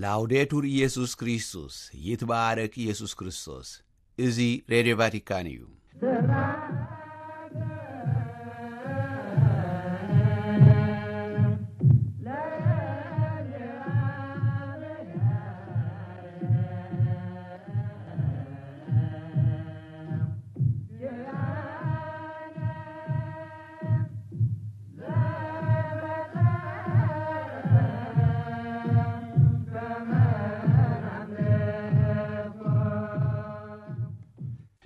ላውዴቱር ኢየሱስ ክርስቶስ፣ ይትባረክ ኢየሱስ ክርስቶስ። እዚ ሬድዮ ቫቲካን እዩ።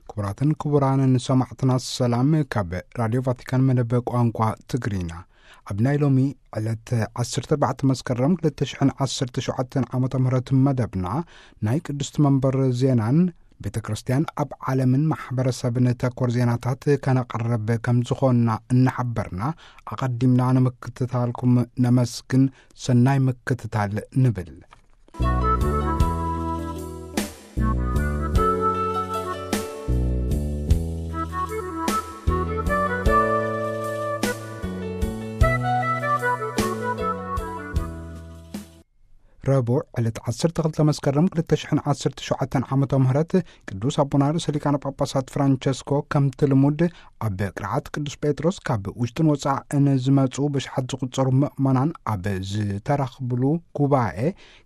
ክቡራትን ክቡራንን ሰማዕትና፣ ሰላም ካብ ራድዮ ቫቲካን መደብ ቋንቋ ትግርኛ። ኣብ ናይ ሎሚ ዕለት ዓሰርተ ኣርባዕተ መስከረም ክልተ ሽሕን ዓሰርተ ሸውዓተን ዓመተ ምህረት መደብና፣ ናይ ቅድስቲ መንበር ዜናን ቤተ ክርስቲያን ኣብ ዓለምን ማሕበረሰብን ተኮር ዜናታት ከነቕርብ ከም ዝኾንና እናሓበርና፣ ኣቐዲምና ንምክትታልኩም ነመስግን። ሰናይ ምክትታል ንብል። ረቡዕ ዕለት ዓሰርተ ክልተ መስከረም ክልተ ሽሕን ዓሰርተ ሸውዓተን ዓመተ ምህረት ቅዱስ ኣቦና ርእሰ ሊቃነ ጳጳሳት ፍራንቸስኮ ከምቲ ልሙድ ኣብ ቅርዓት ቅዱስ ጴጥሮስ ካብ ውሽጥን ወጻእን ዝመጹ ብሽሓት ዝቑጸሩ ምእመናን ኣብ ዝተረኽብሉ ጉባኤ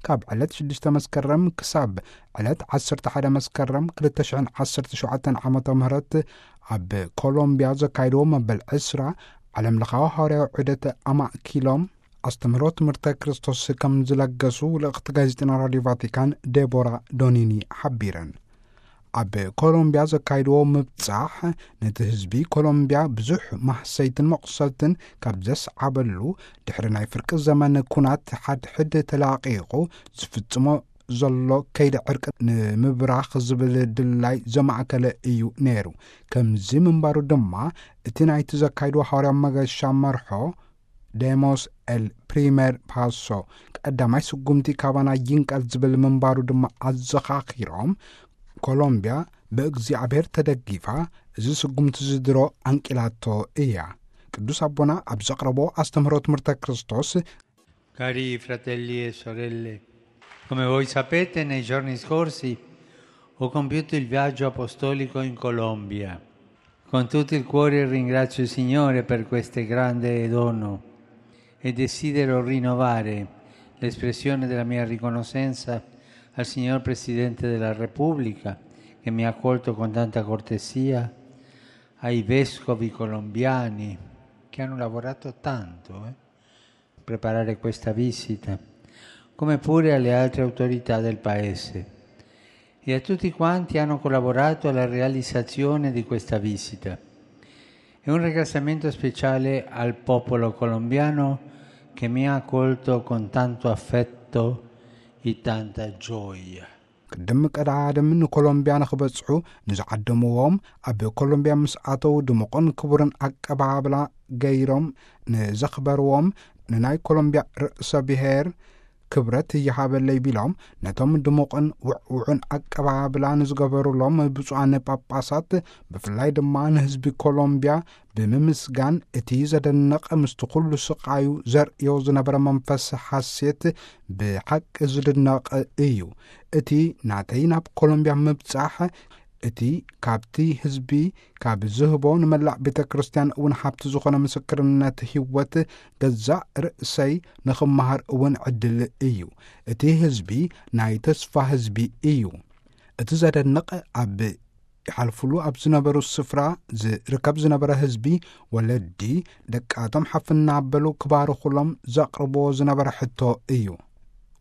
ካብ ዕለት ሽዱሽተ መስከረም ክሳብ ዕለት ዓሰርተ ሓደ መስከረም ክልተ ሽሕን ዓሰርተ ሸውዓተን ዓመተ ምህረት ኣብ ኮሎምቢያ ዘካይድዎ መበል ዕስራ ዓለም ለኻዊ ሃዋርያዊ ዑደት ኣማእኪሎም ኣስተምህሮ ትምህርተ ክርስቶስ ከም ዝለገሱ ልእኽቲ ጋዜጠና ራድዮ ቫቲካን ዴቦራ ዶኒኒ ሓቢረን። ኣብ ኮሎምቢያ ዘካይድዎ ምብጻሕ ነቲ ህዝቢ ኮሎምቢያ ብዙሕ ማህሰይትን መቑሰልትን ካብ ዘስዓበሉ፣ ድሕሪ ናይ ፍርቂ ዘመን ኩናት ሓድሕድ ተላቒቑ ዝፍጽሞ ዘሎ ከይዲ ዕርቂ ንምብራኽ ዝብል ድላይ ዘማእከለ እዩ ነይሩ። ከምዚ ምንባሩ ድማ እቲ ናይቲ ዘካይድዎ ሃዋርያዊ መገሻ መርሖ ደሞስ ኤል ፕሪመር ፓሶ፣ ቀዳማይ ስጉምቲ ካባና ይንቀል ዝብል ምንባሩ ድማ ኣዘኻኺሮም፣ ኮሎምቢያ ብእግዚኣብሔር ተደጊፋ እዚ ስጉምቲ ዝድሮ ኣንቂላቶ እያ። ቅዱስ ኣቦና ኣብ ዘቕረቦ ኣስተምህሮ ትምህርተ ክርስቶስ፣ Cari fratelli e sorelle, come voi sapete, nei giorni scorsi ho compiuto il viaggio apostolico in Colombia. Con tutto il cuore ringrazio il Signore per questo grande dono e desidero rinnovare l'espressione della mia riconoscenza al signor Presidente della Repubblica, che mi ha accolto con tanta cortesia, ai vescovi colombiani, che hanno lavorato tanto, eh, per preparare questa visita, come pure alle altre autorità del paese, e a tutti quanti hanno collaborato alla realizzazione di questa visita. E un ringraziamento speciale al popolo colombiano, che mi ha accolto con tanto affetto e tanta gioia. ቅድም ቀዳድም ንኮሎምቢያ ንኽበጽሑ ንዝዓደምዎም፣ ኣብ ኮሎምቢያ ምስ ኣተዉ ድሙቕን ክቡርን ኣቀባብላ ገይሮም ንዘኽበርዎም፣ ንናይ ኮሎምቢያ ርእሰ ብሔር ክብረት ይሃበለይ ቢሎም፣ ነቶም ድሙቕን ውዕውዑን ኣቀባብላ ንዝገበሩሎም ብፁዓን ጳጳሳት፣ ብፍላይ ድማ ንህዝቢ ኮሎምቢያ ብምምስጋን፣ እቲ ዘደንቕ ምስቲ ኩሉ ስቓዩ ዘርእዮ ዝነበረ መንፈስ ሓሴት ብሓቂ ዝድነቕ እዩ። እቲ ናተይ ናብ ኮሎምቢያ ምብጻሕ፣ እቲ ካብቲ ህዝቢ ካብ ዝህቦ ንመላእ ቤተ ክርስቲያን እውን ሃብቲ ዝኾነ ምስክርነት ህይወት ገዛእ ርእሰይ ንኽመሃር እውን ዕድል እዩ። እቲ ህዝቢ ናይ ተስፋ ህዝቢ እዩ። እቲ ዘደንቕ ኣብ ይሓልፉሉ ኣብ ዝነበሩ ስፍራ ዝርከብ ዝነበረ ህዝቢ፣ ወለዲ ደቃቶም ሓፍ እናበሉ ክባርኹሎም ዘቕርብዎ ዝነበረ ሕቶ እዩ።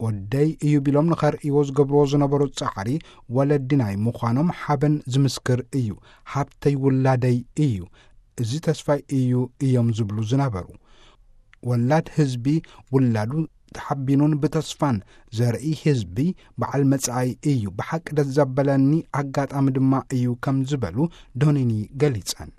ወደይ እዩ ቢሎም ንኸርእይዎ ዝገብርዎ ዝነበሩ ጻዕሪ፣ ወለዲ ናይ ምዃኖም ሓበን ዝምስክር እዩ። ሃብተይ ውላደይ እዩ፣ እዚ ተስፋይ እዩ እዮም ዝብሉ ዝነበሩ። ወላድ ህዝቢ ውላዱ ተሓቢኑን ብተስፋን ዘርኢ ህዝቢ በዓል መጻኢ እዩ። ብሓቂ ደስ ዘበለኒ ኣጋጣሚ ድማ እዩ ከም ዝበሉ ዶኒኒ ገሊጸን።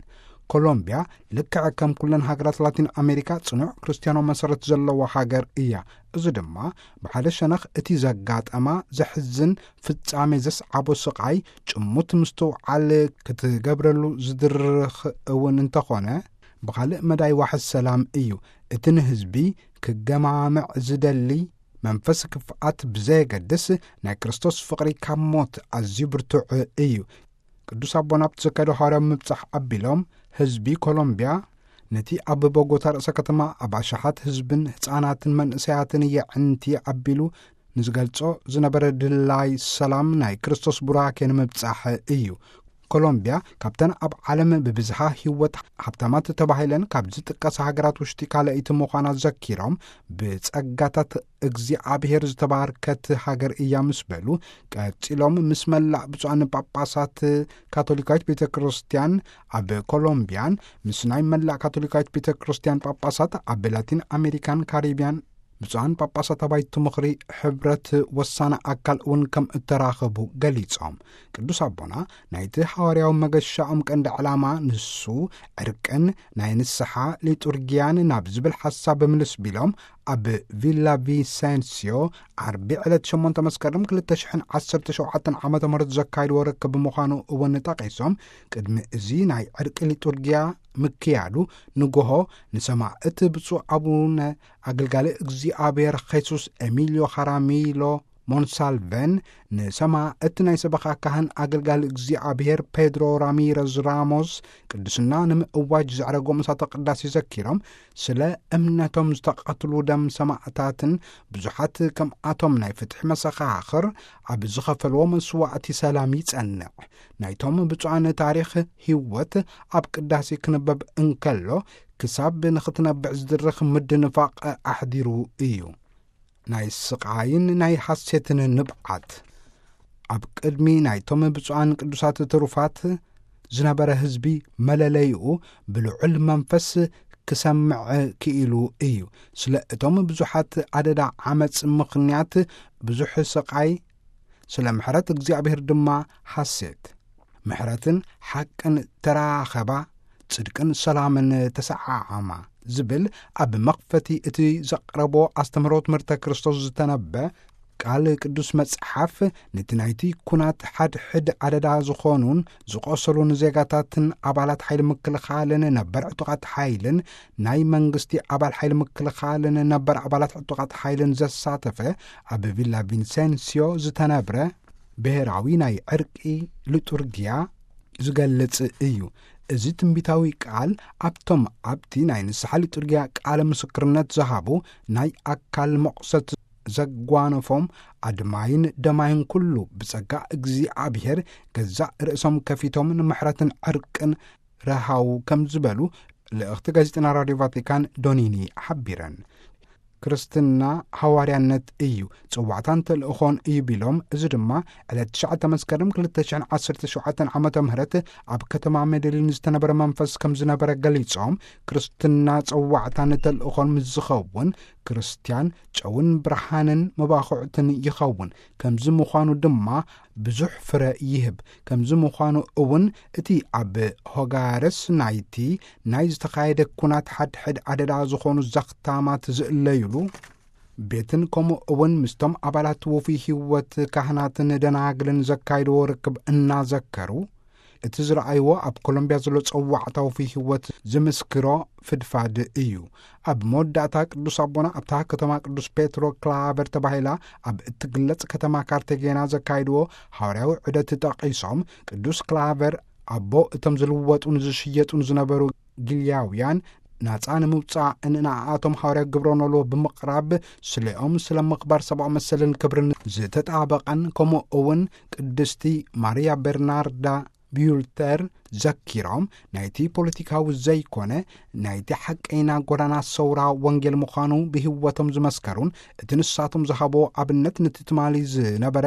ኮሎምቢያ ልክዕ ከም ኩለን ሃገራት ላቲን ኣሜሪካ ጽኑዕ ክርስትያናዊ መሰረት ዘለዋ ሃገር እያ። እዚ ድማ ብሓደ ሸነኽ እቲ ዘጋጠማ ዘሕዝን ፍጻሜ ዘስዓቦ ስቓይ ጭሙት ምስትውዓል ክትገብረሉ ዝድርኽ እውን እንተኾነ፣ ብኻልእ መዳይ ዋሕስ ሰላም እዩ። እቲ ንህዝቢ ክገማምዕ ዝደሊ መንፈስ ክፍኣት ብዘየገድስ ናይ ክርስቶስ ፍቕሪ ካብ ሞት ኣዝዩ ብርቱዕ እዩ። ቅዱስ ኣቦና ኣብቲ ዘካየዶ ሃዋርያዊ ምብጻሕ ኣቢሎም፣ ህዝቢ ኮሎምብያ ነቲ ኣብ ቦጎታ ርእሰ ከተማ ኣብ ኣሽሓት ህዝብን ህጻናትን መንእሰያትን የዕንቲ ኣቢሉ ንዝገልጾ ዝነበረ ድላይ ሰላም ናይ ክርስቶስ ቡራኬ ንምብጻሕ እዩ። ኮሎምብያ ካብተን ኣብ ዓለም ብብዝሃ ህይወት ሃብታማት ተባሂለን ካብ ዝጥቀሳ ሃገራት ውሽጢ ካልኣይቲ ምዃና ዘኪሮም፣ ብጸጋታት እግዚኣብሔር ዝተባርከት ሃገር እያ ምስ በሉ፣ ቀጺሎም ምስ መላእ ብፁዓን ጳጳሳት ካቶሊካዊት ቤተ ክርስቲያን ኣብ ኮሎምቢያን ምስ ናይ መላእ ካቶሊካዊት ቤተ ክርስቲያን ጳጳሳት ኣብ ላቲን ኣሜሪካን ካሪቢያን ብፁዓን ጳጳሳት ኣባይቲ ምኽሪ ሕብረት ወሳነ ኣካል እውን ከም እተራኸቡ ገሊጾም። ቅዱስ ኣቦና ናይቲ ሃዋርያዊ መገሻኦም ቀንዲ ዕላማ ንሱ ዕርቅን ናይ ንስሓ ሊጡርጊያን ናብ ዝብል ሓሳብ ምልስ ቢሎም፣ ኣብ ቪላ ቪሰንሲዮ ዓርቢ ዕለት ሸሞንተ መስከረም ክልተ ሽሕን ዓሰርተ ሸውዓተን ዓመተ ምህረት ዘካይድዎ ርክብ ምዃኑ እውን ጠቒሶም፣ ቅድሚ እዚ ናይ ዕርቂ ሊጡርጊያ ምክያዱ ንጎሆ ንሰማዕት ብፁዕ ኣቡነ ኣገልጋሊ እግዚኣብሔር ኼሱስ ኤሚልዮ ኻራሚሎ ሞንሳልቨን፣ ንሰማዕት ናይ ሰበኻ ካህን ኣገልጋሊ እግዚኣብሔር ፔድሮ ራሚረዝ ራሞስ ቅድስና ንምእዋጅ ዘዕረጎ ምሳተ ቅዳሴ ዘኪሮም፣ ስለ እምነቶም ዝተቐትሉ ደም ሰማዕታትን ብዙሓት ከምኣቶም ናይ ፍትሒ መሰኻኽር ኣብ ዝኸፈልዎ መስዋዕቲ ሰላም ይጸንዕ። ናይቶም ብፁዓን ታሪኽ ህይወት ኣብ ቅዳሴ ክንበብ እንከሎ፣ ክሳብ ንኽትነብዕ ዝድርኽ ምድንፋቕ ኣሕዲሩ እዩ። ናይ ስቓይን ናይ ሓሴትን ንብዓት። ኣብ ቅድሚ ናይቶም ብፁዓን ቅዱሳት ትሩፋት ዝነበረ ህዝቢ መለለይኡ ብልዑል መንፈስ ክሰምዕ ክኢሉ እዩ። ስለ እቶም ብዙሓት ኣደዳ ዓመጽ ምኽንያት ብዙሕ ስቓይ፣ ስለ ምሕረት እግዚኣብሔር ድማ ሓሴት። ምሕረትን ሓቅን ተራኸባ፣ ጽድቅን ሰላምን ተሰዓዓማ ዝብል ኣብ መኽፈቲ እቲ ዘቕረቦ ኣስተምህሮ ትምህርተ ክርስቶስ ዝተነበ ቃል ቅዱስ መጽሓፍ፣ ነቲ ናይቲ ኩናት ሓድሕድ ኣደዳ ዝኾኑን ዝቖሰሉን ዜጋታትን ኣባላት ሓይሊ ምክልኻልን ነበር ዕጡቓት ሓይልን ናይ መንግስቲ ኣባል ሓይሊ ምክልኻልን ነበር ኣባላት ዕጡቓት ሓይልን ዘሳተፈ ኣብ ቪላ ቪንሴንሲዮ ዝተነብረ ብሔራዊ ናይ ዕርቂ ሊጡርጊያ ዝገልጽ እዩ። እዚ ትንቢታዊ ቃል ኣብቶም ኣብቲ ናይ ንስሓ ሊጡርጊያ ቃለ ምስክርነት ዝሃቡ ናይ ኣካል መቑሰት ዘጓነፎም ኣድማይን ደማይን ኩሉ ብጸጋ እግዚኣብሔር ገዛእ ርእሶም ከፊቶም ንምሕረትን ዕርቅን ረሃው ከም ዝበሉ ልእኽቲ ጋዜጠና ራድዮ ቫቲካን ዶኒኒ ሓቢረን። ክርስትና ሃዋርያነት እዩ፣ ጽዋዕታን ተልእኾን እዩ ቢሎም፣ እዚ ድማ ዕለት ትሽዓተ መስከረም ክልተ ሽሕን ዓሰርተ ሸውዓተን ዓመተ ምህረት ኣብ ከተማ ሜደሊን ዝተነበረ መንፈስ ከም ዝነበረ ገሊጾም፣ ክርስትና ጽዋዕታን ተልእኾን ምስ ዝኸውን፣ ክርስትያን ጨውን ብርሃንን መባኹዕትን ይኸውን። ከምዚ ምዃኑ ድማ ብዙሕ ፍረ ይህብ። ከምዚ ምዃኑ እውን እቲ ኣብ ሆጋረስ ናይቲ ናይ ዝተኻየደ ኩናት ሓድሕድ ኣደዳ ዝኾኑ ዘኽታማት ዝእለዩሉ ቤትን ከምኡ እውን ምስቶም ኣባላት ውፉይ ህይወት ካህናትን ደናግልን ዘካይድዎ ርክብ እናዘከሩ፣ እቲ ዝረኣይዎ ኣብ ኮሎምቢያ ዘሎ ጸዋዕታ ውፉይ ህይወት ዝምስክሮ ፍድፋድ እዩ። ኣብ መወዳእታ ቅዱስ ኣቦና ኣብታ ከተማ ቅዱስ ፔትሮ ክላቨር ተባሂላ ኣብ እትግለጽ ከተማ ካርቴጌና ዘካይድዎ ሃዋርያዊ ዑደት ጠቒሶም፣ ቅዱስ ክላቨር ኣቦ እቶም ዝልወጡን ዝሽየጡን ዝነበሩ ጊልያውያን ናጻ ንምውጻእ ንኣኣቶም ሃዋርያ ግብረ ኖልዎ ብምቕራብ፣ ስሌኦም ስለ ምኽባር ሰብኣዊ መሰልን ክብርን ዝተጣበቐን፣ ከምኡ እውን ቅድስቲ ማርያ ቤርናርዳ ቢዩልተር ዘኪሮም፣ ናይቲ ፖለቲካዊ ዘይኮነ ናይቲ ሓቀይና ጎዳና ሰውራ ወንጌል ምዃኑ ብህይወቶም ዝመስከሩን፣ እቲ ንሳቶም ዝሃቦ ኣብነት ነቲ ትማሊ ዝነበረ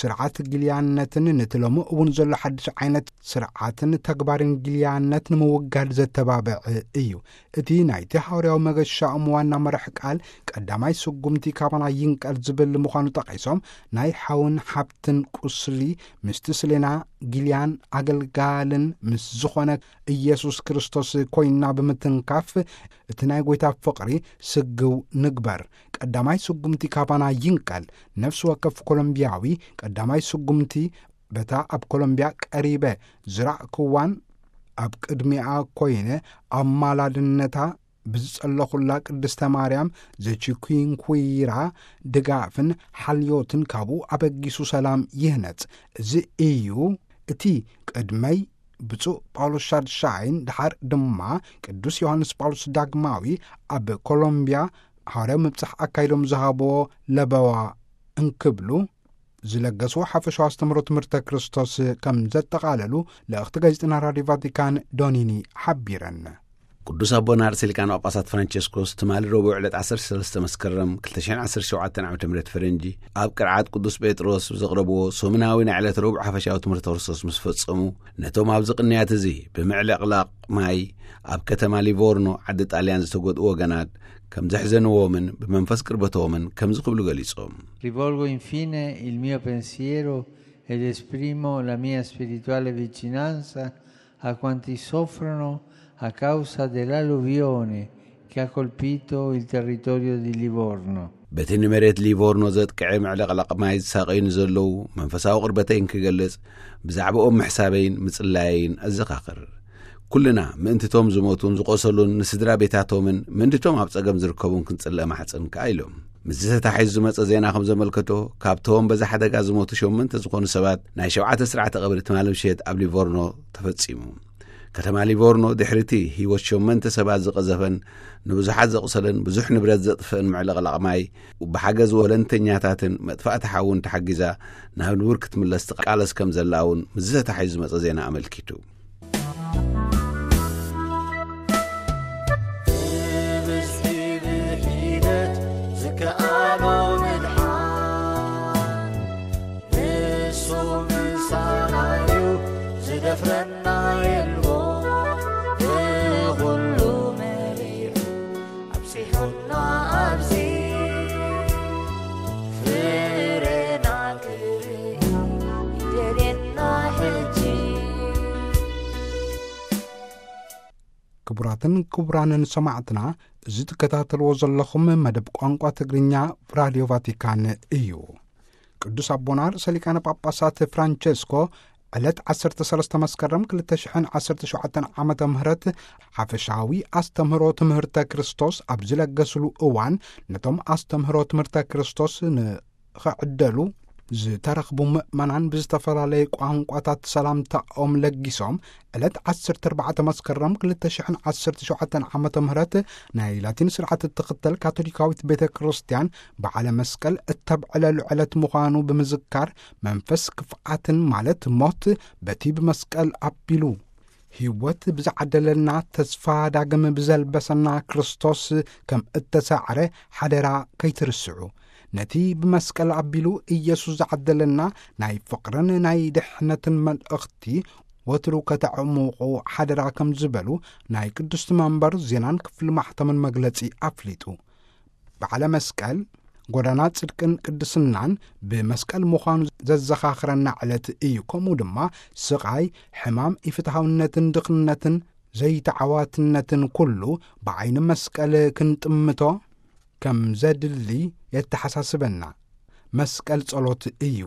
ስርዓት ጊልያነትን ነቲ ሎሚ እውን ዘሎ ሓድሽ ዓይነት ስርዓትን ተግባርን ጊልያነት ንምውጋድ ዘተባብዕ እዩ። እቲ ናይቲ ሃዋርያዊ መገሻኦም ዋና መራሕ ቃል ቀዳማይ ስጉምቲ ካባና ይንቀል ዝብል ምዃኑ ጠቒሶም፣ ናይ ሓውን ሓብትን ቁስሊ ምስቲ ስሌና ጊልያን ኣገልጋልን ምስ ዝኾነ ኢየሱስ ክርስቶስ ኮይና ብምትንካፍ፣ እቲ ናይ ጐይታ ፍቕሪ ስግው ንግበር። ቀዳማይ ስጉምቲ ካባና ይንቀል። ነፍሲ ወከፍ ኮሎምቢያዊ ቀዳማይ ስጉምቲ በታ ኣብ ኮሎምቢያ ቀሪበ ዝራእክዋን ኣብ ቅድሚኣ ኮይነ ኣማላድነታ ብዝጸለኹላ ቅድስተ ማርያም ዘቺኩንኩራ ድጋፍን ሓልዮትን ካብኡ ኣበጊሱ ሰላም ይህነጽ። እዚ እዩ እቲ ቅድመይ ብፁዕ ጳውሎስ ሻድሻይን ድሓር ድማ ቅዱስ ዮሃንስ ጳውሎስ ዳግማዊ ኣብ ኮሎምብያ ሃዋርያዊ ምብጻሕ ኣካይዶም ዝሃብዎ ለበዋ እንክብሉ ዝለገስዎ ሓፈሻዊ ኣስተምህሮ ትምህርተ ክርስቶስ ከም ዘጠቓለሉ ልእኽቲ ጋዜጠና ራድዮ ቫቲካን ዶኒኒ ሓቢረን። ቅዱስ ኣቦና ርእሰ ሊቃነ ጳጳሳት ፍራንቸስኮስ ትማሊ ረቡዕ ዕለት ዓሰርተ ሰለስተ መስከረም ክልተ ሽሕን ዓሰርተ ሸውዓተን ዓመተ ምህረት ፈረንጂ ኣብ ቅርዓት ቅዱስ ጴጥሮስ ዘቕረብዎ ሰሙናዊ ናይ ዕለት ረቡዕ ሓፈሻዊ ትምህርተ ክርስቶስ ምስ ፈጸሙ፣ ነቶም ኣብዚ ቅንያት እዚ ብምዕልቕላቕ ማይ ኣብ ከተማ ሊቮርኖ ዓዲ ጣልያን ዝተጎድኡ ወገናት ከም ዘሕዘንዎምን ብመንፈስ ቅርበቶምን ከምዚ ክብሉ ገሊጾም። Rivolgo infine il mio pensiero ed esprimo la mia spirituale vicinanza a quanti soffrono a causa dell'alluvione che ha colpito il territorio di Livorno. በቲ ንመሬት ሊቮርኖ ዘጥቅዐ ምዕልቕላቕ ማይ ዝሳቐዩ ንዘለዉ መንፈሳዊ ቅርበተይን ክገልጽ፣ ብዛዕባኦም ምሕሳበይን ምጽላየይን ኣዘኻኽር። ኩልና ምእንትቶም ዝሞቱን ዝቖሰሉን ንስድራ ቤታቶምን ምእንትቶም ኣብ ጸገም ዝርከቡን ክንጽለ ማሕጸን ከኣ ኢሎም። ምስዚ ተታሒዙ ዝመጸ ዜና ከም ዘመልከቶ፣ ካብቶም በዚ ሓደጋ ዝሞቱ ሸሞንተ ዝኾኑ ሰባት ናይ ሸውዓተ ስርዓተ ቀብሪ ትማሊ ምሸት ኣብ ሊቮርኖ ተፈጺሙ። ከተማ ሊቮርኖ ድሕሪቲ ህይወት ሸሞንተ ሰባት ዝቐዘፈን ንብዙሓት ዘቑሰለን ብዙሕ ንብረት ዘጥፍእን ምዕልቕላቕ ማይ ብሓገዝ ወለንተኛታትን መጥፋእቲ ሓውን ተሓጊዛ ናብ ንቡር ክትምለስ ትቃለስ ከም ዘላ እውን ምስዚ ተታሒዙ ዝመጸ ዜና ኣመልኪቱ። ብብዝሒ ብሒደት ዝከኣሎ ምድሓን ንሱ ምሳና እዩ፣ ዝደፍረና የልቦ። ንኹሉ መሪሑ ኣብጺሑና ኣብዚ፣ ፍሬና ክርኢ ይደልየና ሕጂ። ክቡራትን ክቡራንን ሰማዕትና፣ እዚ ትከታተልዎ ዘለኹም መደብ ቋንቋ ትግርኛ ራድዮ ቫቲካን እዩ። ቅዱስ ኣቦና ርእሰ ሊቃነ ጳጳሳት ፍራንቸስኮ ዕለት ዓሰርተ ሰለስተ መስከረም ክልተ ሽሕን ዓሰርተ ሸውዓተን ዓመተ ምህረት ሓፈሻዊ ኣስተምህሮ ትምህርተ ክርስቶስ ኣብ ዝለገስሉ እዋን፣ ነቶም ኣስተምህሮ ትምህርተ ክርስቶስ ንኸዕደሉ ዝተረኽቡ ምእመናን ብዝተፈላለየ ቋንቋታት ሰላምታኦም ለጊሶም፣ ዕለት ዓሰርተ ኣርባዕተ መስከረም ክልተ ሽሕን ዓሰርተ ሸውዓተን ዓመተ ምህረት ናይ ላቲን ስርዓት እትኽተል ካቶሊካዊት ቤተ ክርስቲያን በዓለ መስቀል እተብዕለሉ ዕለት ምዃኑ ብምዝካር፣ መንፈስ ክፍኣትን ማለት ሞት በቲ ብመስቀል ኣቢሉ ህይወት ብዝዓደለልና ተስፋ ዳግም ብዘልበሰና ክርስቶስ ከም እተሳዕረ ሓደራ ከይትርስዑ። ነቲ ብመስቀል ኣቢሉ ኢየሱስ ዝዓደለና ናይ ፍቕርን ናይ ድሕነትን መልእኽቲ ወትሩ ከተዕሙቑ ሓደራ ከም ዝበሉ ናይ ቅድስቲ መንበር ዜናን ክፍሊ ማሕተምን መግለጺ ኣፍሊጡ። በዓለ መስቀል፣ ጎዳና ጽድቅን ቅድስናን ብመስቀል ምዃኑ ዘዘኻኽረና ዕለት እዩ። ከምኡ ድማ ስቓይ፣ ሕማም፣ ኢፍትሃውነትን ድኽነትን ዘይተዓዋትነትን ኩሉ ብዓይኒ መስቀል ክንጥምቶ ከም ዘድሊ የተሓሳስበና። መስቀል ጸሎት እዩ።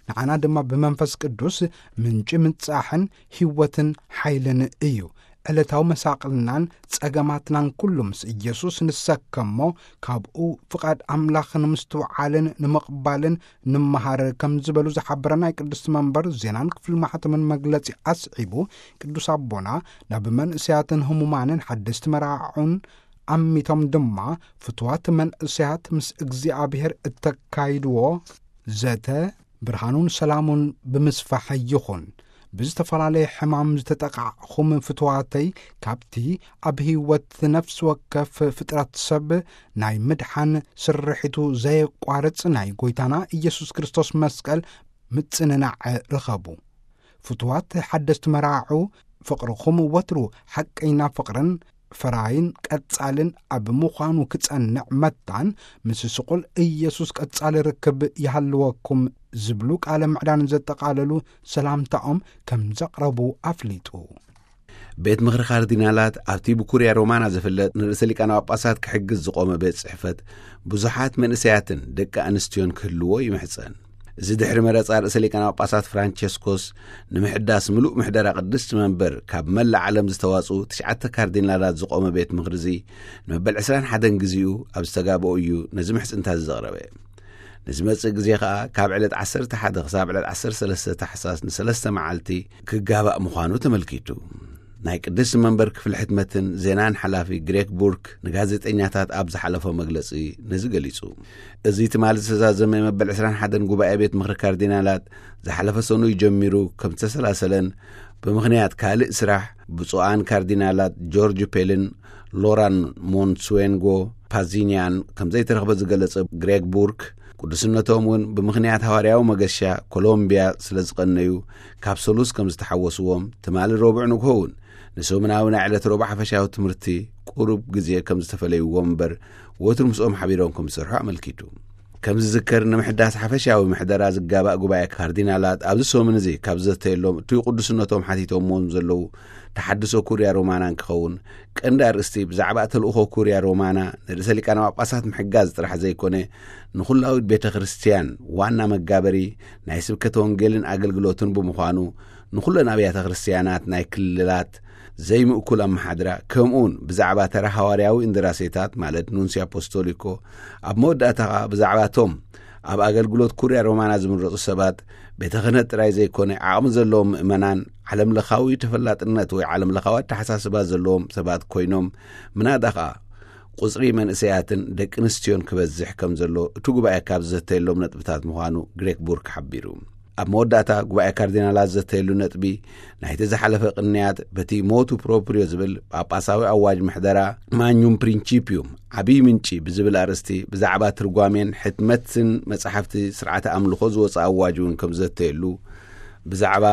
ንዓና ድማ ብመንፈስ ቅዱስ ምንጪ ምጻሕን ህይወትን ሓይልን እዩ። ዕለታዊ መሳቕልናን ጸገማትናን ኩሉ ምስ ኢየሱስ ንሰከሞ፣ ካብኡ ፍቓድ ኣምላኽ ንምስትውዓልን ንምቕባልን ንመሃር ከም ዝበሉ ዝሓበረ ናይ ቅድስቲ መንበር ዜናን ክፍሊ ማሕተምን መግለጺ ኣስዒቡ፣ ቅዱስ ኣቦና ናብ መንእሰያትን ህሙማንን ሓደስቲ መራዕዑን ኣሚቶም ድማ ፍትዋት መንእሰያት ምስ እግዚኣብሔር እተካይድዎ ዘተ ብርሃኑን ሰላሙን ብምስፋሕ ይኹን። ብዝተፈላለየ ሕማም ዝተጠቓዕኹም ፍትዋተይ፣ ካብቲ ኣብ ህይወት ነፍሲ ወከፍ ፍጥረት ሰብ ናይ ምድሓን ስርሒቱ ዘየቋርጽ ናይ ጐይታና ኢየሱስ ክርስቶስ መስቀል ምጽንናዕ ርኸቡ። ፍትዋት ሓደስቲ መራዕዑ፣ ፍቕርኹም ወትሩ ሓቀይና ፍቕርን ፈራይን ቀጻልን ኣብ ምዃኑ ክጸንዕ መታን፣ ምስ ስቑል ኢየሱስ ቀጻሊ ርክብ ይሃልወኩም ዝብሉ ቃለ ምዕዳን ዘጠቓለሉ ሰላምታኦም ከም ዘቕረቡ ኣፍሊጡ። ቤት ምኽሪ ካርዲናላት ኣብቲ ብኩርያ ሮማና ዝፍለጥ ንርእሰ ሊቃነ ጳጳሳት ክሕግዝ ዝቖመ ቤት ጽሕፈት ብዙሓት መንእሰያትን ደቂ ኣንስትዮን ክህልዎ ይምሕጸን። እዚ ድሕሪ መረጻ ርእሰ ሊቃነ ጳጳሳት ፍራንቸስኮስ ንምሕዳስ ምሉእ ምሕደራ ቅድስቲ መንበር ካብ መላእ ዓለም ዝተዋጽኡ ትሽዓተ ካርዲናላት ዝቖመ ቤት ምኽሪ እዚ፣ ንመበል ዕስራን ሓደን ግዜኡ ኣብ ዝተጋብኦ እዩ ነዚ ምሕጽንታ እዚ ዘቕረበ። ንዝመጽእ ግዜ ኸኣ ካብ ዕለት ዓሰርተ ሓደ ክሳብ ዕለት ዓሰርተ ሰለስተ ታሕሳስ ንሰለስተ መዓልቲ ክጋባእ ምዃኑ ተመልኪቱ። ናይ ቅድስቲ መንበር ክፍሊ ሕትመትን ዜናን ሓላፊ ግሬክ ቡርክ ንጋዜጠኛታት ኣብ ዝሓለፎ መግለጺ ነዚ ገሊጹ። እዚ ትማሊ ዝተዛዘመ መበል ዕስራን ሓደን ጉባኤ ቤት ምኽሪ ካርዲናላት ዝሓለፈ ሰኑይ ጀሚሩ ከም ዝተሰላሰለን፣ ብምኽንያት ካልእ ስራሕ ብፁዓን ካርዲናላት ጆርጅ ፔልን ሎራን ሞንስዌንጎ ፓዚኒያን ከም ዘይተረኽበ ዝገለጸ ግሬክ ቡርክ፣ ቅዱስነቶም እውን ብምኽንያት ሃዋርያዊ መገሻ ኮሎምቢያ ስለ ዝቐነዩ፣ ካብ ሰሉስ ከም ዝተሓወስዎም ትማሊ ረቡዕ ንግሆ እውን ንሰሙናዊ ናይ ዕለት ረቡዕ ሓፈሻዊ ትምህርቲ ቁሩብ ግዜ ከም ዝተፈለይዎም እምበር፣ ወትሩ ምስኦም ሓቢሮም ከም ዝሰርሑ ኣመልኪቱ። ከም ዝዝከር፣ ንምሕዳስ ሓፈሻዊ ምሕደራ ዝጋባእ ጉባኤ ካርዲናላት ኣብዚ ሰሙን እዚ ካብ ዝዘተየሎም፣ እቱይ ቅዱስነቶም ሓቲቶምዎም ዘለዉ ተሓድሶ ኩርያ ሮማና እንክኸውን፣ ቀንዲ ኣርእስቲ ብዛዕባ ተልእኾ ኩርያ ሮማና ንርእሰ ሊቃነ ጳጳሳት ምሕጋዝ ጥራሕ ዘይኮነ፣ ንኹላዊት ቤተ ክርስቲያን ዋና መጋበሪ ናይ ስብከተ ወንጌልን ኣገልግሎትን ብምዃኑ፣ ንኹለን ኣብያተ ክርስቲያናት ናይ ክልላት ዘይምእኩል ኣመሓድራ፣ ከምኡውን ብዛዕባ ተራ ሃዋርያዊ እንደራሴታት፣ ማለት ኑንሲ ኣፖስቶሊኮ፣ ኣብ መወዳእታ ኸኣ ብዛዕባቶም ኣብ ኣገልግሎት ኩርያ ሮማና ዝምረጹ ሰባት፣ ቤተ ክህነት ጥራይ ዘይኮነ፣ ዓቕሚ ዘለዎም ምእመናን፣ ዓለምለኻዊ ተፈላጥነት ወይ ዓለምለኻዊ ኣተሓሳስባ ዘለዎም ሰባት ኮይኖም፣ ምናዳ ኸኣ ቁጽሪ መንእሰያትን ደቂ ኣንስትዮን ክበዝሕ ከም ዘሎ እቲ ጉባኤ ካብ ዝዘተየሎም ነጥብታት ምዃኑ ግሬክ ቡርክ ሓቢሩ። ኣብ መወዳእታ፣ ጉባኤ ካርዲናላት ዝዘተየሉ ነጥቢ፣ ናይቲ ዝሓለፈ ቅንያት በቲ ሞቱ ፕሮፕሪዮ ዝብል ጳጳሳዊ ኣዋጅ ምሕደራ፣ ማኙም ፕሪንቺፒዩም፣ ዓብዪ ምንጪ ብዝብል ኣርእስቲ፣ ብዛዕባ ትርጓሜን ሕትመትን መጻሕፍቲ ስርዓተ ኣምልኾ ዝወጽኣ ኣዋጅ እውን ከም ዘተየሉ፣ ብዛዕባ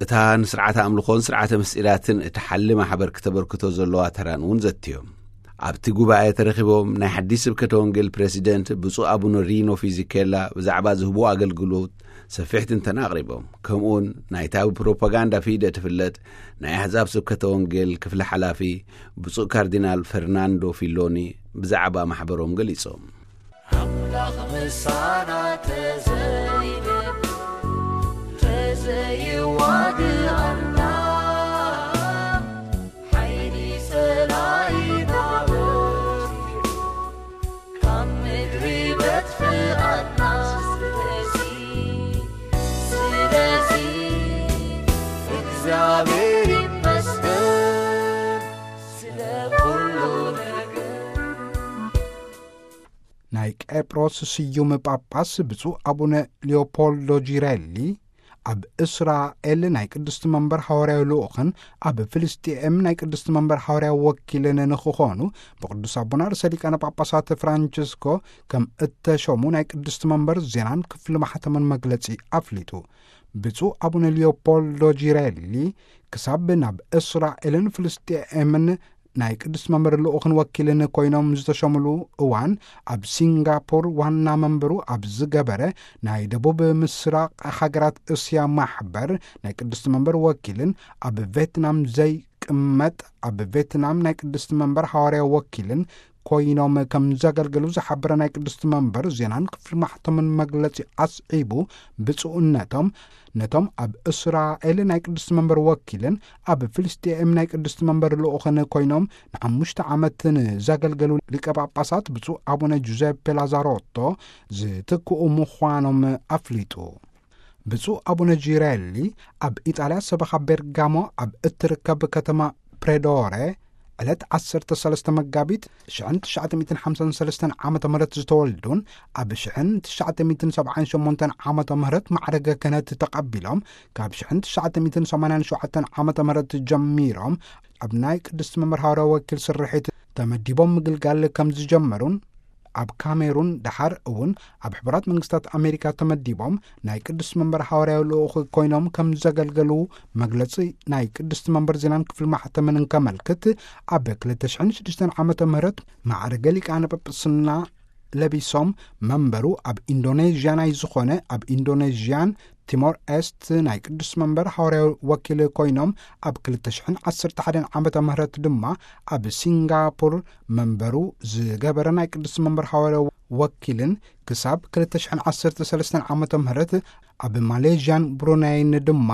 እታ ንስርዓተ ኣምልኾን ስርዓተ ምስጢራትን እትሓሊ ማሕበር ክተበርክቶ ዘለዋ ተራን እውን ዘትዮም። ኣብቲ ጉባኤ ተረኺቦም ናይ ሓዲስ ስብከተ ወንጌል ፕሬሲደንት ብፁዕ ኣቡነ ሪኖ ፊዚኬላ ብዛዕባ ዝህብዎ ኣገልግሎት ሰፊሕ ትንተና ኣቕሪቦም። ከምኡውን ናይታ ብፕሮፓጋንዳ ፊደ ትፍለጥ ናይ ኣሕዛብ ስብከተ ወንጌል ክፍሊ ሓላፊ ብፁዕ ካርዲናል ፈርናንዶ ፊሎኒ ብዛዕባ ማሕበሮም ገሊጾም። ኣምላኽ ምሳና ተዘይብል፣ ተዘይዋግኣና፣ ሓይሊ ጸላኢና በርቲዑ፣ ካብ ምድሪ በትኽኣና። ስለዚ፣ ስለዚ፣ እግዚኣብሔር ይመስገን ስለ ኩሉ ነገር። ናይ ቄፕሮስ ስዩም ጳጳስ ብፁዕ ኣቡነ ሊዮፖልዶ ጂሬሊ፣ ኣብ እስራኤል ናይ ቅድስቲ መንበር ሃዋርያዊ ልኡኽን ኣብ ፍልስጤም ናይ ቅድስቲ መንበር ሃዋርያዊ ወኪልን ንኽኾኑ፣ ብቅዱስ ኣቡና ርእሰ ሊቃነ ጳጳሳት ፍራንቸስኮ ከም እተሾሙ ናይ ቅድስቲ መንበር ዜናን ክፍሊ ማሕተምን መግለጺ ኣፍሊጡ። ብፁዕ ኣቡነ ሊዮፖልዶ ጂሬሊ፣ ክሳብ ናብ እስራኤልን ፍልስጤምን ናይ ቅድስቲ መንበር ልኡኽን ወኪልን ኮይኖም ዝተሸምሉ እዋን፣ ኣብ ሲንጋፖር ዋና መንበሩ ኣብ ዝገበረ ናይ ደቡብ ምስራቕ ሃገራት እስያ ማሕበር ናይ ቅድስቲ መንበር ወኪልን ኣብ ቬትናም ዘይቅመጥ ኣብ ቬትናም ናይ ቅድስቲ መንበር ሃዋርያ ወኪልን ኮይኖም ከም ዘገልገሉ ዝሓበረ ናይ ቅድስቲ መንበር ዜናን ክፍሊ ማሕተምን መግለጺ ኣስዒቡ፣ ብፁዕነቶም ነቶም ኣብ እስራኤል ናይ ቅድስቲ መንበር ወኪልን ኣብ ፍልስጤም ናይ ቅድስቲ መንበር ልኡኽን ኮይኖም ንሓሙሽተ ዓመት ንዘገልገሉ ሊቀ ጳጳሳት ብፁዕ ኣቡነ ጁዘፔ ላዛሮቶ ዝትክኡ ምዃኖም ኣፍሊጡ። ብፁዕ ኣቡነ ጂሬሊ ኣብ ኢጣልያ ሰበኻ ቤርጋሞ ኣብ እትርከብ ከተማ ፕሬዶረ ዕለት ዓሰርተ ሰለስተ መጋቢት ሽሕን ትሽዓተ ሚእትን ሓምሳን ሰለስተን ዓመተ ምህረት ዝተወልዱን ኣብ ሽሕን ትሽዓተ ሚእትን ሰብዓን ሸሞንተን ዓመተ ምህረት ማዕረገ ክህነት ተቐቢሎም፣ ካብ ሽሕን ትሽዓተ ሚእትን ሰማንያን ሸውዓተን ዓመተ ምህረት ጀሚሮም ኣብ ናይ ቅድስቲ መምህር ሃዋርያ ወኪል ስርሒት ተመዲቦም ምግልጋል ከም ዝጀመሩን፣ ኣብ ካሜሩን ደሓር እውን ኣብ ሕቡራት መንግስታት ኣሜሪካ ተመዲቦም ናይ ቅድስቲ መንበር ሃዋርያዊ ልኡኽ ኮይኖም ከም ዘገልገሉ መግለጺ ናይ ቅድስቲ መንበር ዜናን ክፍሊ ማሕተምን እንከመልክት፣ ኣብ ክልተ ሽሕን ሽዱሽተን ዓመተ ምህረት ማዕረገ ሊቃነ ጳጳስና ለቢሶም፣ መንበሩ ኣብ ኢንዶኔዥያ ናይ ዝኾነ ኣብ ኢንዶኔዥያን ቲሞር ኤስት ናይ ቅዱስ መንበር ሃዋርያዊ ወኪል ኮይኖም ኣብ ክልተ ሽሕን ዓሰርተ ሓደን ዓመተ ምህረት ድማ ኣብ ሲንጋፖር መንበሩ ዝገበረ ናይ ቅዱስ መንበር ሃዋርያዊ ወኪልን ክሳብ ክልተ ሽሕን ዓሰርተ ሰለስተን ዓመተ ምህረት ኣብ ማሌዥያን ብሩናይን ድማ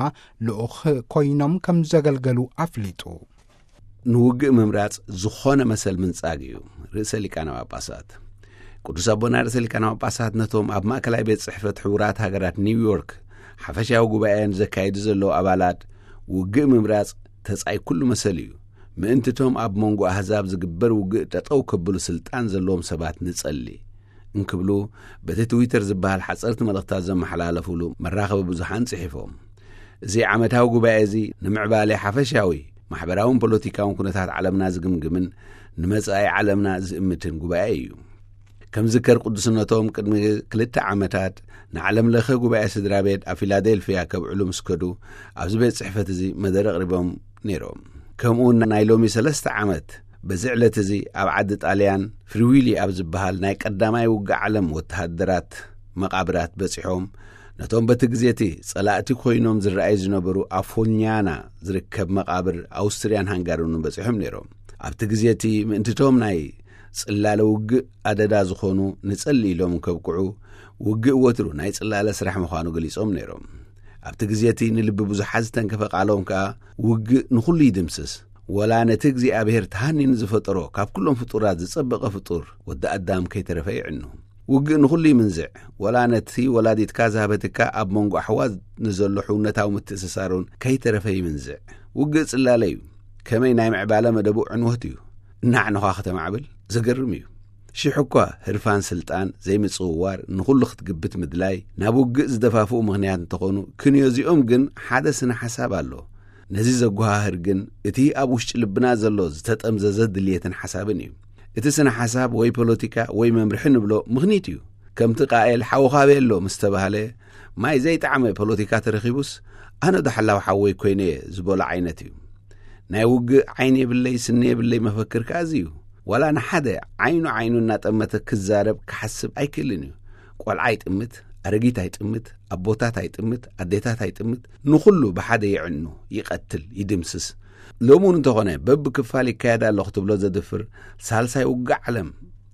ልኡኽ ኮይኖም ከም ዘገልገሉ ኣፍሊጡ። ንውግእ ምምራጽ ዝኾነ መሰል ምንጻግ እዩ። ርእሰ ሊቃነ ጳጳሳት ቅዱስ ኣቦና ርእሰ ሊቃነ ጳጳሳት ነቶም ኣብ ማእከላይ ቤት ጽሕፈት ሕቡራት ሃገራት ኒውዮርክ ሓፈሻዊ ጉባኤ ንዘካይዱ ዘለዉ ኣባላት፣ ውግእ ምምራጽ ተጻይ ኩሉ መሰል እዩ። ምእንትቶም ኣብ መንጎ ኣህዛብ ዝግበር ውግእ ጠጠው ከብሉ ስልጣን ዘለዎም ሰባት ንጸሊ እንክብሉ በቲ ትዊተር ዝበሃል ሓጸርቲ መልእኽታት ዘመሓላለፉሉ መራኸቢ ብዙሓን ጽሒፎም። እዚ ዓመታዊ ጉባኤ እዚ ንምዕባለ ሓፈሻዊ ማሕበራውን ፖለቲካውን ኩነታት ዓለምና ዝግምግምን ንመጻኢ ዓለምና ዝእምትን ጉባኤ እዩ። ከም ዝከር ቅዱስነቶም ቅድሚ ክልተ ዓመታት ንዓለም ለኸ ጉባኤ ስድራ ቤት ኣብ ፊላዴልፊያ ከብዕሉ ምስ ከዱ ኣብዚ ቤት ጽሕፈት እዚ መደረ ኣቕሪቦም ነይሮም። ከምኡ ናይ ሎሚ ሰለስተ ዓመት በዚ ዕለት እዚ ኣብ ዓዲ ጣልያን ፍሪዊሊ ኣብ ዝበሃል ናይ ቀዳማይ ውግእ ዓለም ወተሃደራት መቓብራት በጺሖም ነቶም በቲ ግዜ እቲ ጸላእቲ ኮይኖም ዝረኣዩ ዝነበሩ ኣብ ፎልኛና ዝርከብ መቓብር ኣውስትርያን ሃንጋርን እውን በጺሖም ነይሮም። ኣብቲ ግዜ እቲ ምእንትቶም ናይ ጽላለ ውግእ ኣደዳ ዝኾኑ ንጸሊ ኢሎም ከብቅዑ ውግእ ወትሩ ናይ ጽላለ ስራሕ ምዃኑ ገሊጾም ነይሮም። ኣብቲ ግዜ እቲ ንልቢ ብዙሓት ዝተንከፈ ቃሎም ከኣ ውግእ ንኹሉ ይድምስስ፣ ወላ ነቲ እግዚኣብሔር ተሃኒኑ ዝፈጠሮ ካብ ኩሎም ፍጡራት ዝጸበቐ ፍጡር ወዲ ኣዳም ከይተረፈ ይዕኑ። ውግእ ንኹሉ ይምንዝዕ፣ ወላ ነቲ ወላዲትካ ዝሃበትካ ኣብ መንጎ ኣሕዋት ንዘሎ ሕውነታዊ ምትእስሳሩን ከይተረፈ ይምንዝዕ። ውግእ ጽላለ እዩ። ከመይ ናይ ምዕባለ መደቡ ዕንወት እዩ። እናዕነኻ ከተማዕብል ዘገርም እዩ። ሽሕ እኳ ህርፋን ስልጣን ዘይምጽውዋር ንኹሉ ክትግብት ምድላይ ናብ ውግእ ዝደፋፍኡ ምኽንያት እንተኾኑ ክንዮ እዚኦም ግን ሓደ ስነ ሓሳብ ኣሎ። ነዚ ዘጓሃህር ግን እቲ ኣብ ውሽጢ ልብና ዘሎ ዝተጠምዘዘ ድልየትን ሓሳብን እዩ። እቲ ስነ ሓሳብ ወይ ፖለቲካ ወይ መምርሒ ንብሎ ምኽኒት እዩ። ከምቲ ቃኤል ሓውኻ ቤሎ ምስ ተባህለ ማይ ዘይጠዓመ ፖለቲካ ተረኺቡስ ኣነ ዶ ሓላው ሓወይ ኮይነ እየ ዝበሎ ዓይነት እዩ። ናይ ውግእ ዓይኒ የብለይ ስኒ የብለይ መፈክር ከኣ እዚ እዩ። ዋላ ንሓደ ዓይኑ ዓይኑ እናጠመተ ክዛረብ ክሓስብ ኣይክእልን እዩ። ቆልዓ ኣይጥምት፣ ኣረጊት ኣይጥምት፣ ኣቦታት ኣይጥምት፣ ኣዴታት ኣይጥምት፣ ንኹሉ ብሓደ የዕኑ፣ ይቐትል፣ ይድምስስ። ሎሚ እውን እንተኾነ በብክፋል ይካየድ ኣሎ ክትብሎ ዘድፍር ሳልሳይ ውግእ ዓለም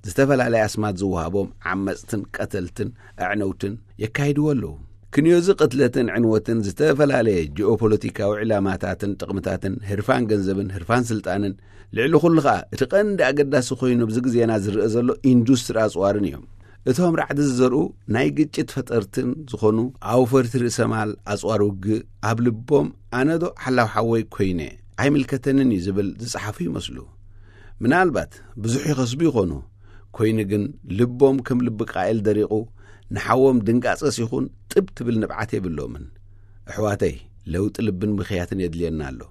ዝተፈላለየ ኣስማት ዝወሃቦም ዓመፅትን ቀተልትን ኣዕነውትን የካይድዎ ኣለዉ። ክንዮዚ ቅትለትን ዕንወትን ዝተፈላለየ ጂኦፖለቲካዊ ዕላማታትን ጥቕምታትን ህርፋን ገንዘብን ህርፋን ስልጣንን ልዕሊ ኩሉ ኸኣ እቲ ቀንዲ ኣገዳሲ ኮይኑ ኣብዚ ግዜና ዝረአ ዘሎ ኢንዱስትሪ ኣፅዋርን እዮም። እቶም ራዕዲ ዝዘርኡ ናይ ግጭት ፈጠርትን ዝኾኑ ኣውፈርቲ ርእሰ ማል ኣፅዋር ውግእ ኣብ ልቦም ኣነዶ ሓላው ሓወይ ኮይነ ኣይምልከተንን እዩ ዝብል ዝጸሓፉ ይመስሉ። ምናልባት ብዙሕ ይኸስቡ ይኾኑ፣ ኮይኑ ግን ልቦም ከም ልቢ ቃኤል ደሪቑ ንሓዎም ድንጋጸስ ይኹን ጥብ ትብል ንብዓት የብሎምን። ኣሕዋተይ፣ ለውጢ ልብን ብኽያትን የድልየና ኣሎ።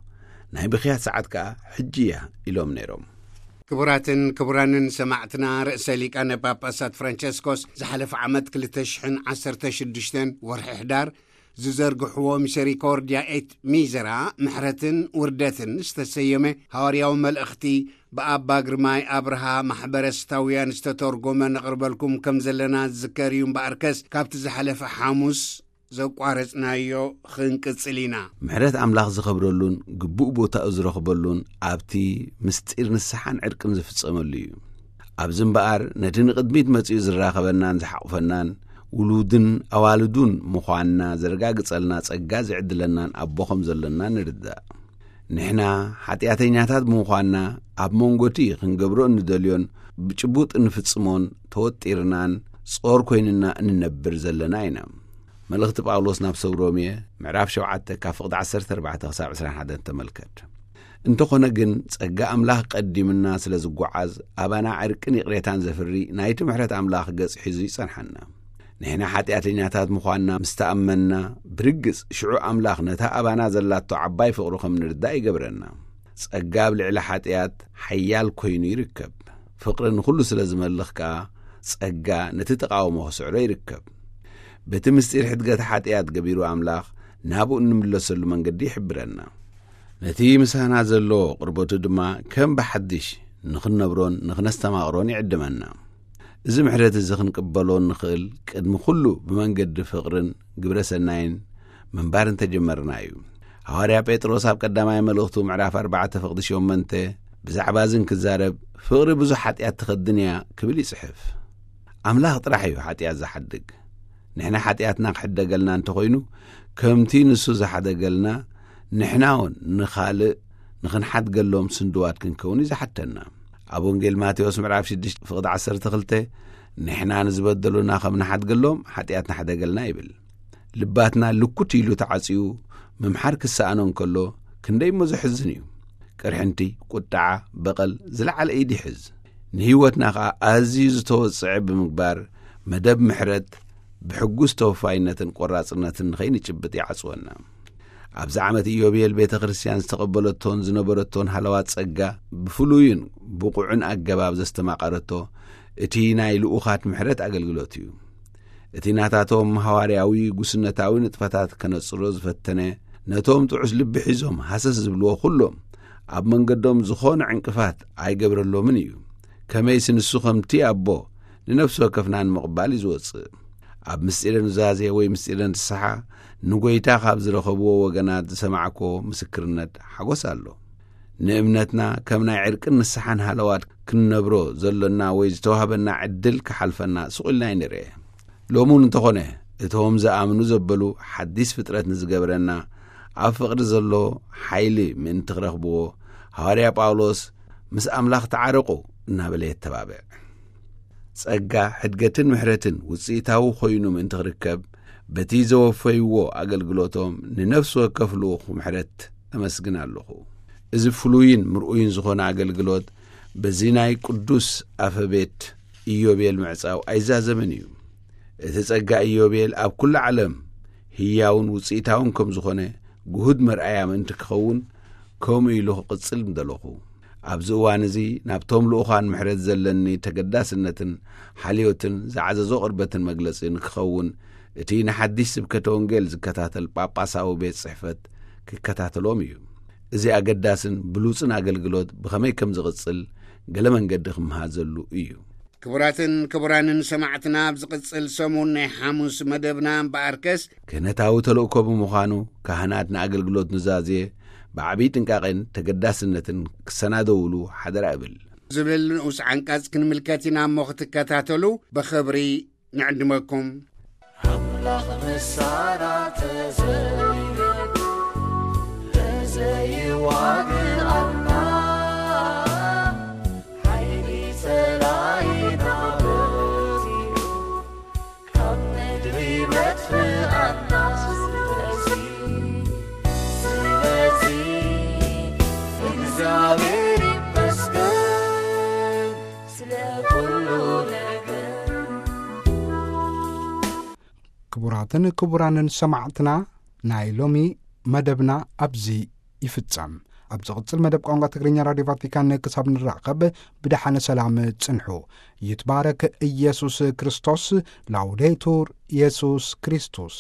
ናይ ብኽያት ሰዓት ከኣ ሕጂ እያ ኢሎም ነይሮም። ክቡራትን ክቡራንን ሰማዕትና፣ ርእሰ ሊቃነ ጳጳሳት ፍራንቸስኮስ ዝሓለፈ ዓመት ክልተ ሽሕን ዓሰርተ ሽዱሽተን ወርሒ ሕዳር ዝዘርግሕዎ ሚሰሪኮርድያ ኤት ሚዘራ ምሕረትን ውርደትን ዝተሰየመ ሃዋርያዊ መልእኽቲ ብኣባ ግርማይ ኣብርሃ ማሕበረስታውያን ዝተተርጎመ ነቕርበልኩም ከም ዘለና ዝዝከር እዩ። እምበኣርከስ ካብቲ ዝሓለፈ ሓሙስ ዘቋረጽናዮ ክንቅጽል ኢና። ምሕረት ኣምላኽ ዝኸብረሉን ግቡእ ቦታኡ ዝረኽበሉን ኣብቲ ምስጢር ንስሓን ዕርቅን ዝፍጸመሉ እዩ። ኣብዚ እምበኣር ነቲ ንቕድሚት መጺኡ ዝራኸበናን ዝሓቑፈናን ውሉድን ኣዋልዱን ምዃንና ዘረጋግጸልና ጸጋ ዝዕድለናን ኣቦ ከም ዘለና ንርዳእ። ንሕና ሓጢኣተኛታት ብምዃንና ኣብ መንጎ እቲ ክንገብሮ እንደልዮን ብጭቡጥ እንፍጽሞን ተወጢርናን ጾር ኮይንና እንነብር ዘለና ኢና። መልእኽቲ ጳውሎስ ናብ ሰብ ሮሜ ምዕራፍ ሸውዓተ ካብ ፍቕዲ ዓሰርተ ኣርባዕተ ክሳብ ዕስራን ሓደን ተመልከት። እንተኾነ ግን ጸጋ ኣምላኽ ቀዲምና ስለ ዝጓዓዝ ኣባና ዕርቅን ይቕሬታን ዘፍሪ ናይቲ ምሕረት ኣምላኽ ገጽ ሒዙ ይጸንሓና። ንሕና ሓጢኣተኛታት ምዃንና ምስ ተኣመንና ብርግጽ ሽዑ ኣምላኽ ነታ ኣባና ዘላቶ ዓባይ ፍቕሩ ከም ንርዳእ ይገብረና። ጸጋ ኣብ ልዕሊ ሓጢኣት ሓያል ኮይኑ ይርከብ። ፍቕሪ ንኹሉ ስለ ዝመልኽ ከኣ ጸጋ ነቲ ተቓውሞ ክስዕሮ ይርከብ። በቲ ምስጢር ሕድገት ሓጢኣት ገቢሩ ኣምላኽ ናብኡ እንምለሰሉ መንገዲ ይሕብረና። ነቲ ምሳና ዘሎ ቅርበቱ ድማ ከም ብሓድሽ ንኽንነብሮን ንኽነስተማቕሮን ይዕድመና። እዚ ምሕረት እዚ ክንቅበሎ እንኽእል ቅድሚ ኩሉ ብመንገዲ ፍቕርን ግብረ ሰናይን ምንባር እንተጀመርና እዩ። ሃዋርያ ጴጥሮስ ኣብ ቀዳማይ መልእኽቱ ምዕራፍ ኣርባዕተ ፍቕዲ ሸሞንተ ብዛዕባ እዚ እንክዛረብ ፍቕሪ ብዙሕ ሓጢኣት ትኸድን እያ ክብል ይጽሕፍ። ኣምላኽ ጥራሕ እዩ ሓጢኣት ዝሓድግ። ንሕና ሓጢኣትና ክሕደገልና እንተኾይኑ፣ ከምቲ ንሱ ዝሓደገልና፣ ንሕና እውን ንኻልእ ንኽንሓድገሎም ስንድዋት ክንከውን እዩ ዝሓተና። ኣብ ወንጌል ማቴዎስ ምዕራፍ ሽዱሽተ ፍቕዲ ዓሰርተ ክልተ፣ "ንሕና ንዝበደሉና ከም ንሓድገሎም ሓጢኣትና ሕደገልና" ይብል። ልባትና ልኩት ኢሉ ተዓጽዩ ምምሓር ክሰኣኖ እንከሎ፣ ክንደይ እሞ ዘሕዝን እዩ። ቅርሕንቲ፣ ቁጥዓ፣ በቐል ዝለዓለ ኢድ ይሕዝ። ንህይወትና ኸኣ ኣዝዩ ዝተወጽዐ ብምግባር፣ መደብ ምሕረት ብሕጉስ ተወፋይነትን ቆራጽነትን ንኸይንጭብጥ ይዓጽወና። ኣብዚ ዓመት ኢዮቤል ቤተ ክርስቲያን ዝተቐበለቶን ዝነበረቶን ሃለዋት ጸጋ ብፍሉይን ብቑዕን ኣገባብ ዘስተማቐረቶ እቲ ናይ ልኡኻት ምሕረት ኣገልግሎት እዩ። እቲ ናታቶም ሃዋርያዊ ጉስነታዊ ንጥፈታት ከነጽሮ ዝፈተነ፣ ነቶም ጥዑስ ልቢ ሒዞም ሃሰስ ዝብልዎ ኩሎም ኣብ መንገዶም ዝኾነ ዕንቅፋት ኣይገብረሎምን እዩ። ከመይሲ ንሱ ከምቲ ኣቦ ንነፍሲ ወከፍና ንምቕባል እዩ ዝወጽእ። ኣብ ምስጢረ ኑዛዜ ወይ ምስጢረ ንስሓ ንጎይታ ካብ ዝረኸብዎ ወገናት ዝሰማዕኮ ምስክርነት ሓጎስ ኣሎ። ንእምነትና ከም ናይ ዕርቅን ንስሓን ሃለዋት ክንነብሮ ዘሎና ወይ ዝተዋህበና ዕድል ክሓልፈና ስቕ ኢልና ኣይንርኤ። ሎሚ እውን እንተኾነ፣ እቶም ዝኣምኑ ዘበሉ ሓዲስ ፍጥረት ንዝገብረና፣ ኣብ ፍቕሪ ዘሎ ሓይሊ ምእንቲ ክረኽብዎ፣ ሃዋርያ ጳውሎስ "ምስ ኣምላኽ ተዓረቑ" እናበለ የተባብዕ። ጸጋ፣ ሕድገትን ምሕረትን ውጽኢታዊ ኮይኑ ምእንቲ ክርከብ፣ በቲ ዘወፈይዎ ኣገልግሎቶም ንነፍሲ ወከፍ ልኡኽ ምሕረት ኣመስግን ኣለኹ። እዚ ፍሉይን ምርኡይን ዝኾነ ኣገልግሎት በዚ ናይ ቅዱስ ኣፈቤት ኢዮቤል ምዕጻው ኣይዛዘምን እዩ። እቲ ጸጋ ኢዮቤል ኣብ ኩሉ ዓለም ህያውን ውጽኢታውን ከም ዝኾነ ግሁድ መርኣያ ምእንቲ ክኸውን፣ ከምኡ ኢሉ ክቕጽል ምደለኹ። ኣብዚ እዋን እዚ ናብቶም ልኡኻን ምሕረት ዘለኒ ተገዳስነትን ሓልዮትን ዝዓዘዞ ቅርበትን መግለጺ ንክኸውን፣ እቲ ንሓድሽ ስብከተ ወንጌል ዝከታተል ጳጳሳዊ ቤት ጽሕፈት ክከታተሎም እዩ። እዚ ኣገዳስን ብሉጽን ኣገልግሎት ብኸመይ ከም ዝቕጽል ገለ መንገዲ ክመሃዘሉ እዩ። ክቡራትን ክቡራንን ሰማዕትና፣ ኣብ ዝቕጽል ሰሙን ናይ ሓሙስ መደብና እምበኣርከስ፣ ክህነታዊ ተልእኮ ብምዃኑ፣ ካህናት ንኣገልግሎት ኑዛዜ ብዓቢይ ጥንቃቄን ተገዳስነትን ክሰናደውሉ ሓደራ እብል። ዝብል ንኡስ ዓንቀጽ ክንምልከት ኢና እሞ ክትከታተሉ ብኽብሪ ንዕድመኩም። ኣምላኽ መሳራ ተዘይገዱ ተዘይዋግኣና ሓይሊ ጸላኢና በዚሑ ካብ ምድሪ መጥፍኣና። ስለዚ፣ ስለዚ እግዚኣብሔር ይመስገን ስለ ኩሉ ነገር። ክቡራትን ክቡራንን ሰማዕትና፣ ናይ ሎሚ መደብና ኣብዚ ይፍጸም። ኣብ ዝቕጽል መደብ ቋንቋ ትግርኛ ራድዮ ቫቲካን ክሳብ ንራኸብ ብደሓነ ሰላም ጽንሑ። ይትባረክ ኢየሱስ ክርስቶስ። ላውዴቱር ኢየሱስ ክርስቶስ።